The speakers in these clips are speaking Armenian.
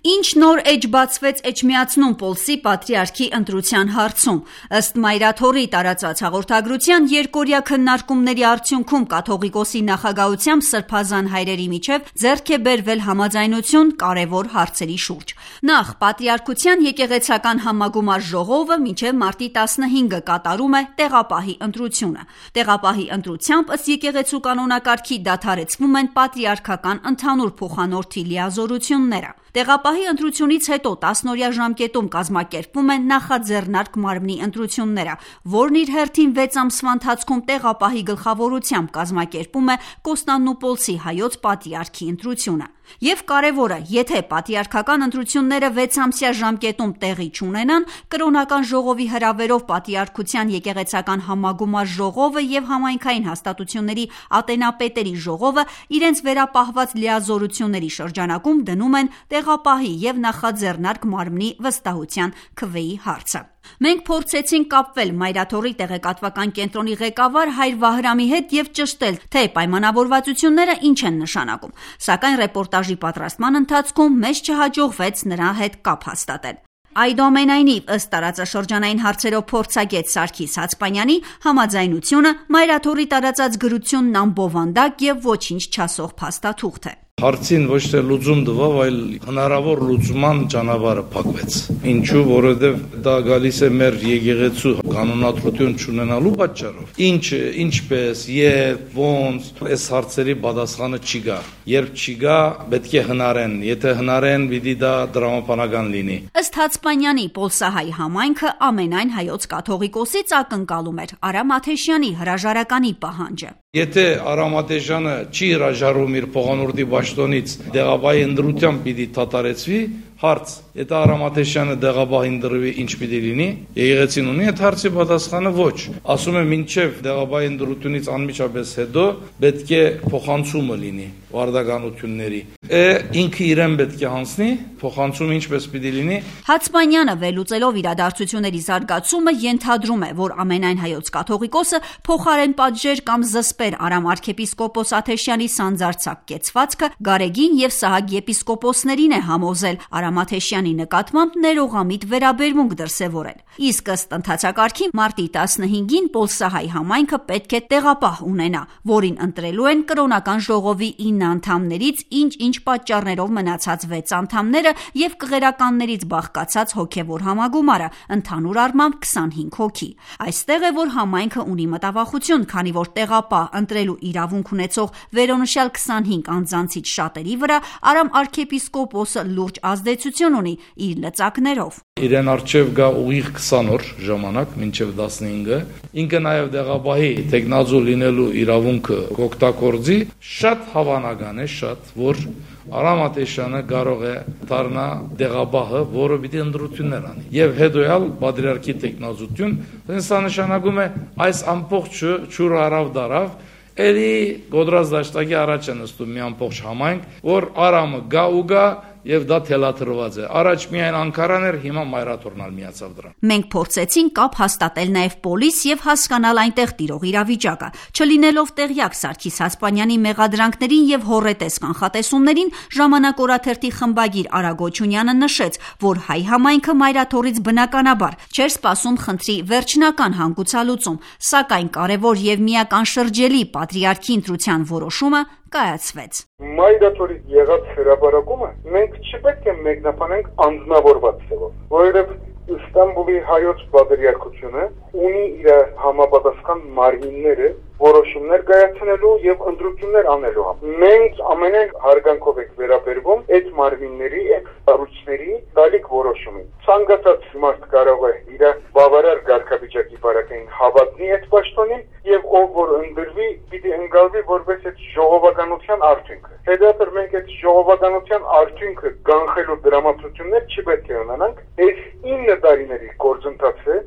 Ինչ նոր էջ բացվեց Էջմիածնում Պոլսի պատրիարքի ընտրության հարցում։ Ըստ Մայրաթորի տարածած հաղորդագրության, երկօրյա քննարկումների արդյունքում կաթողիկոսի նախագահությամբ սրբազան հայրերի միջև ձեռք է բերվել համաձայնություն կարևոր հարցերի շուրջ։ Նախ, պատրիարքության եկեղեցական համագումար ժողովը մինչև մարտի 15-ը կատարում է տեղապահի ընտրությունը։ Տեղապահի ընտրությամբ ըստ եկեղեցու կանոնակարգի դադարեցվում են պատրիարքական ընդհանուր փոխանորդի լիազորությունները։ Տեղապահի ընտրությունից հետո 10-օրյա ժամկետում կազմակերպվում են նախաձեռնարկ մարմնի ընտրությունները, որն իր հերթին 6 ամսվա ընթացքում տեղապահի գլխավորությամբ կազմակերպում է Կոստանդնուպոլսի հայոց պատրիարքի ընտրությունը։ Եվ կարևորը, եթե պատրիարքական ընտրությունները 6-ամսյա ժամկետում տեղի չունենան, կրոնական ժողովի հրավերով պատրիարքության եկեղեցական համագումար ժողովը եւ համայնքային հաստատությունների ատենապետերի ժողովը իրենց վերապահված լիազորությունների շրջանակում դնում են տեղապահի եւ նախաձեռնարկ մարմնի վստահության քվեի հարցը։ Մենք փորձեցինք կապվել Մայրաթորի տեղեկատվական կենտրոնի ղեկավար Հայր Վահրամի հետ եւ ճշտել, թե պայմանավորվածությունները ինչ են նշանակում, սակայն ռեպորտաժի պատրաստման ընթացքում մեզ չհաջողվեց նրա հետ կապ հաստատել։ Այդուամենայնիվ, ըստ տարածաշրջանային հարցերով փորձագետ Սարգիս Հացպանյանի, համաձայնությունը Մայրաթորի տարածած գրությունն անբովանդակ եւ ոչինչ չասող փաստաթուղթ է։ Հարցին ոչ թե լուծում տվավ, այլ հնարավոր լուծման ճանապարհը փակվեց։ Ինչու, որովհետև դա գալիս է մեր եկեղեցու կանոնադրություն չունենալու պատճառով։ Ինչպես, ոնց, այս հարցերի պատասխանը չի գա։ Երբ չի գա, պետք է հնարեն։ Եթե հնարեն, պիտի դա դրամապանական լինի։ Ըստ Հացպանյանի, Պոլսահայ համայնքը ամենայն հայոց կաթողիկոսից ակնկալում էր Արամ Աթեշյանի հրաժարականի պահանջը։ Եթե Արամ Աթեշյանը չի հրաժարվում իր փոխանորդի պաշտոնից, դեղաբահի ընտրությամբ պիտի դադարեցվի, հարց, եթե Արամ Աթեշյանը դեղաբահ ընտրվի, ինչ պիտի լինի, եկեղեցին ունի այդ հարցի պատասխանը ոչ։ Ասում եմ, մինչև դեղաբահի ընտրությունից անմիջապես հետո պետք է փոխանցումը լինի վարդականությունների։ Ինքը իրեն պետք է հանձնի, փոխանցումը ինչպես պիտի լինի։ Հացպանյանը վերլուծելով իրադարձությունների զարգացումը ենթադրում է, որ ամենայն հայոց կաթողիկոսը փոխարեն պատժեր կամ զսպեր Արամ arczepiskopos Աթեշյանի սանձարձակ կեցվածքը Գարեգին եւ Սահակ եպիսկոպոսներին է համոզել Արամ Աթեշյանի նկատմամբ ներողամիտ վերաբերմունք դրսևորել։ Իսկ ըստ ընթացակարգի մարտի 15-ին Պոլսահայ համայնքը պետք է տեղապահ ունենա, որին ընտրելու են կրոնական ժողովի 9 անդամներից ինչ պատճառներով մնացած 6 անդամները եւ կղերականներից բաղկացած հոգեվոր համագումարը, ընդհանուր առմամբ 25 հոգի։ Այստեղ է, որ համայնքը ունի մտավախություն, քանի որ տեղապահ ընտրելու իրավունք ունեցող վերոնշյալ 25 անձանցից շատերի վրա Արամ arczepiskopos-ը լուրջ ազդեցություն ունի իր լծակներով։ Իրեն արչև գա ուղիղ 20 օր ժամանակ, մինչև 15-ը, ինքը նաև դեղաբահի տեխնազու լինելու իրավունքը կօգտագործի, շատ հավանական է, որ Արամ Աթեշյանը կարող է դառնա դեղաբահը, որը պիտի ընտրություններ անի։ Եվ հետոյալ պատրիարքի տեխնազություն, դա նշանակում է այս ամբողջը ճուր արավ դարավ, էլի գոդրած դաշտակի առաջ է նստում մի ամբողջ համայնք, որ Արամը գա եւ դա թելաթրված է։ Առաջ միայն Անկարան էր, հիմա Մայրաթորն միացավ դրան։ Մենք փորձեցինք կապ հաստատել նաեւ պոլիս եւ հասկանալ այնտեղ տիրող իրավիճակը։ Չլինելով տեղյակ Սարգիս Հացպանյանի մեղադրանքներին եւ հոռետես կանխատեսումներին, ժամանակ օրաթերթի խմբագիր Արա Գոչունյանը նշեց, որ հայ համայնքը Մայրաթորից բնականաբար չէր սպասում խնդրի վերջնական հանգուցալուծում, սակայն կարևոր եւ միականշրջելի պատրիարքի ընտրության որոշումը կայացվեց։ Մայրաթորից եղած հրապարակումը մենք չպետք է մեկնաբանենք անձնավորված ձևով, որովհետև Ստամբուլի հայոց պատրիարքությունը ունի իր համապատասխան մարմինները որոշումներ կայացնելու եւ ընտրություններ անելու համար։ Մենք ամենայն հարգանքով ենք վերաբերվում այդ մարմինների, այդ կառույցների դալիք որոշումին։ Ցանկացած մարդ կարող է իր բավարար կարգավիճակի բարակային հավատնի այդ պաշտոնին եւ ով որ ընտրվի, պիտի ընկալվի որպես այդ ժողովականության արդյունքը։ Հետո մենք այդ ժողովականության արդյունքը կանխելու դրամատուրգություններ չպետք է ունենանք։ Այս 9 տարիների գործընթացը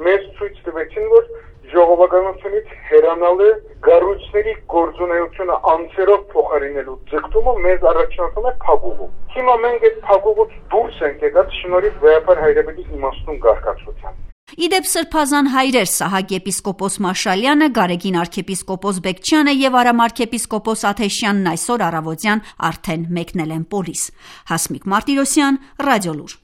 մեզ ցույց տվեցին, որ ժողովականությունից հեռանալը կառույցների գործունեությունը անձերով փոխարինելու ձգտումը մեզ առաջնորդում է փակուղու։ Հիմա մենք այդ փակուղուց դուրս ենք եկած շնորհիվ վեհապար հայրապետի իմաստուն կարգացության։ Իդեպ սրբազան հայրեր Սահակ եպիսկոպոս Մաշալյանը, Գարեգին arczepiskopos Բեկչյանը եւ Արամ arczepiskopos Աթեշյանն այսօր առավոտյան արդեն մեկնել են Պոլիս։ Հասմիկ Մարտիրոսյան, Ռադիոլուր։